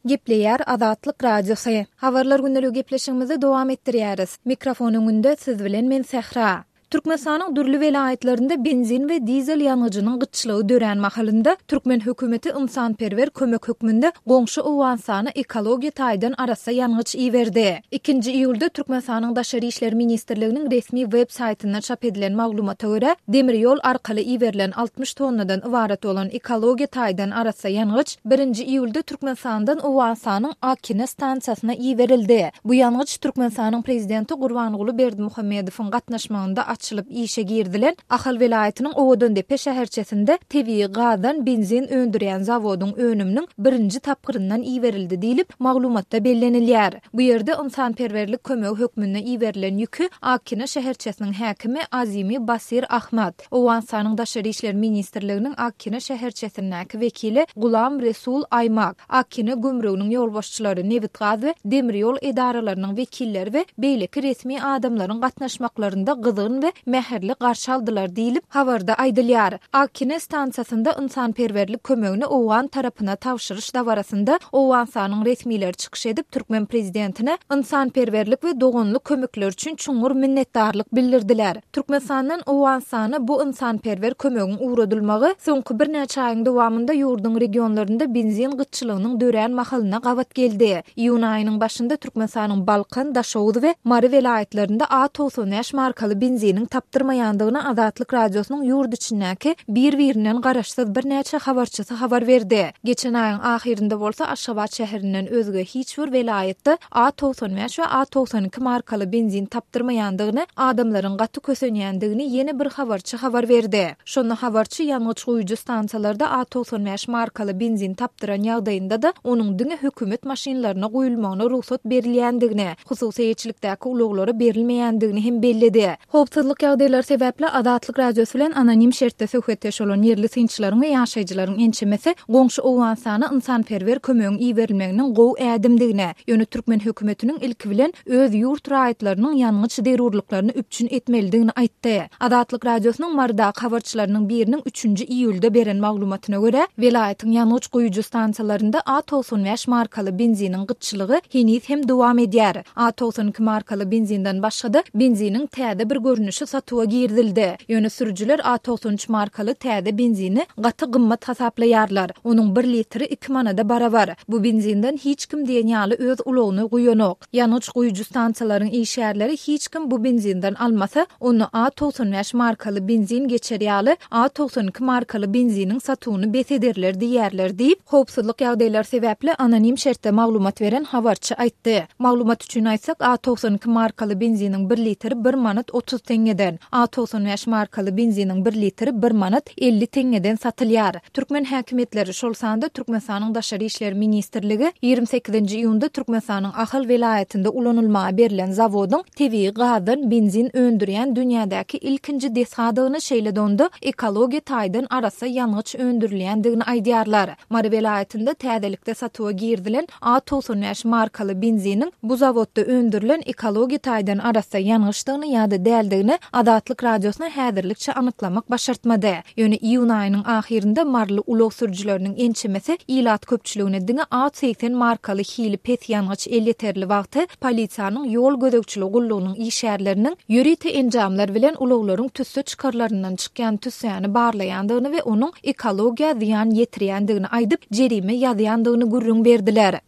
Gepleýär Azatlyk Radiosy. Habarlar gündeligi gepleşigimizi dowam etdirýäris. Mikrofon öňünde siz bilen men Sähra. Türkmenistanyň dürli welaýatlarynda benzin we dizel ýangyjynyň gytçylygy dörän mahalynda, türkmen hökümeti ynsanperwer kömek hökmünde goňşy Owganystana ekologiýa taýdan arassa ýangyç iberdi. Ikinji iýulda Türkmenistanyň Daşary işler ministrliginiň resmi web saýtynda çap edilen maglumata görä, demir ýol arkaly iberilen 60 tonnadan ybarat bolan ekologiýa taýdan arassa ýangyç birinji iýulda Türkmenistandan Owganystanyň Akina stansiýasyna iberildi. Bu ýangyç Türkmenistanyň Prezidenti Gurbanguly Berdimuhamedowyň gatnaşmagynda açylyp işe girizilen Ahal welaýatynyň Owadandepe şäherçesinde tebigy gazdan benzin öndürýän zawodyň önüminiň birinji tapgyryndan iberildi diýlip, maglumatda bellenilýär. Bu ýerde ynsanperwerlik kömegi hökmünde iberilen ýüki Akina şäherçesiniň häkimi Azimi Basir Ahmad, Owganystanyň Daşary işler ministrliginiň Akina şäherçesindäki wekili Gulam Resul Aýmak, Akina gümrüginiň ýolbaşçylary, nebitgaz we demir ýol edaralarynyň wekilleri we beýleki resmi adamlaryň gatnaşmaklarynda gyzgyn we mähirli garşy aldylar diýlip, habarda aýdylýar. Akina stansiýasynda ynsanperwerlik kömegini owgan tarapyna tabşyryş dabarasynda Owganystanyň resmileri çykyş edip, türkmen prezidentine ynsanperwerlik we doganlyk kömekleri üçin çuňňur minnetdarlyk bildirdiler. Türkmenistandan Owganystana bu ynsanperwer kömegiň ugradylmagy soňky birnäçe aýyň dowamynda ýurduň regionlarynda benzin gytçylygynyň dörän mahalyna gabat geldi. Iýun aýynyň başynda Türkmenistanyň Balkan, Daşoguz we Mary welaýatlarynda A 95 markaly benziniň tapdyrmaýandygyny Azatlyk Radiosynyň ýurt içindäki bir-birinden garaşsyz birnäçe habarçysy habar berdi. Geçen aýyň ahyrynda bolsa Aşgabat şäherinden özge hiç bir welaýatda A 95 we A 92 markaly benzin tapdyrmaýandygyny, adamlaryň gaty kösenýändigini ýene bir habarçy habar berdi. Şonda habarçy ýangyç guýujy stansiýalarda A 95 markaly benzin tapdyran ýagdaýynda-da, onuň diňe hökümet maşynlaryna guýulmagyna rugsat berilýändigini, hususy eýeçilikdäki ulaglara berilmeýändigini hem belledi. Howpsuzlyk ýagdaýlary sebäpli Azatlyk Radiosy bilen anonim şertde söhbetdeş bolan ýerli synçylaryň we ýaşaýjylaryň ençemesi goňşy Owganystana ynsanperwer kömegiň iberilmeginiň gowy ädimdigini, ýöne türkmen hökümetiniň ilki bilen öz ýurt raýatlarynyň ýangyç zerurlyklaryny üpjün etmelidigini aýtdy. Azatlyk Radiosynyň Marydaky habarçylarynyň biriniň üçünji iýulda beren maglumatyna görä, welaýatyň ýangyç guýujy stansiýalarynda A 95 markaly benziniň gytçylygy heniz hem dowam edýär. A 92 markaly benzinden başga-da, benziniň täze bir görnüşi satuwa girizildi. Ýöne sürüjiler A 93 markaly täze benzini gaty gymmat hasaplaýarlar. Onuň bir litri iki manada barabar. Bu benzinden hiç kim diýen ýaly öz ulagyny guýanok. Ýangyç guýujy stansiýalaryň işgärleri hiç kim bu benzinden almasa, onda A 95 markaly benzin geçer ýaly A 92 markaly benziniň satuwyny bes ederler diýýärler diýip, howpsuzlyk ýagdaýlary sebäpli anonim şertde maglumat beren habarçy aýtdy. Maglumat üçin aýtsak, A 92 markaly benziniň bir litri bir manat 30 teňňeden, A 95 markaly benziniň bir litri bir manat 50 teňňeden satylýar. Türkmen häkimiýetleri, şol sanda Türkmenistanyň Daşary işler ministrligi ýigrimi sekizinji iýunda Türkmenistanyň Ahal welaýatynda ulanylmaga berlen zawodyň tebigy gazdan benzin öndürýän dünýädäki ilkinji desgadygyny, şeýle-de onda ekologiýa taýdan arassa ýangyç öndürilýändigini aýdýarlar. Mary welaýatynda täzelikde satuwa girizilen A 95 markaly benziniň bu zawodda öndürilen ekologiýa taýdan arassa ýangyçdygyny ýa-da däldigini Azatlyk Radiosyna häzirlikçe anyklamak başartmady. Ýöne iýun aýynyň ahyrynda maryly ulag sürüjileriniň ençemesi ilat köpçüligine diňe A 80 markaly hili pes ýangyç elýeterli wagty polisiýanyň ýol gözegçiligi gullugynyň işgärleriniň ýörite enjamlar bilen ulaglaryň tüsse çykarlaryndan çykýan tüssäni barlaýandygyny we onuň ekologiýa zyýan ýetirýändigini aýdyp, jerime ýazýandygyny gürrüň berdiler.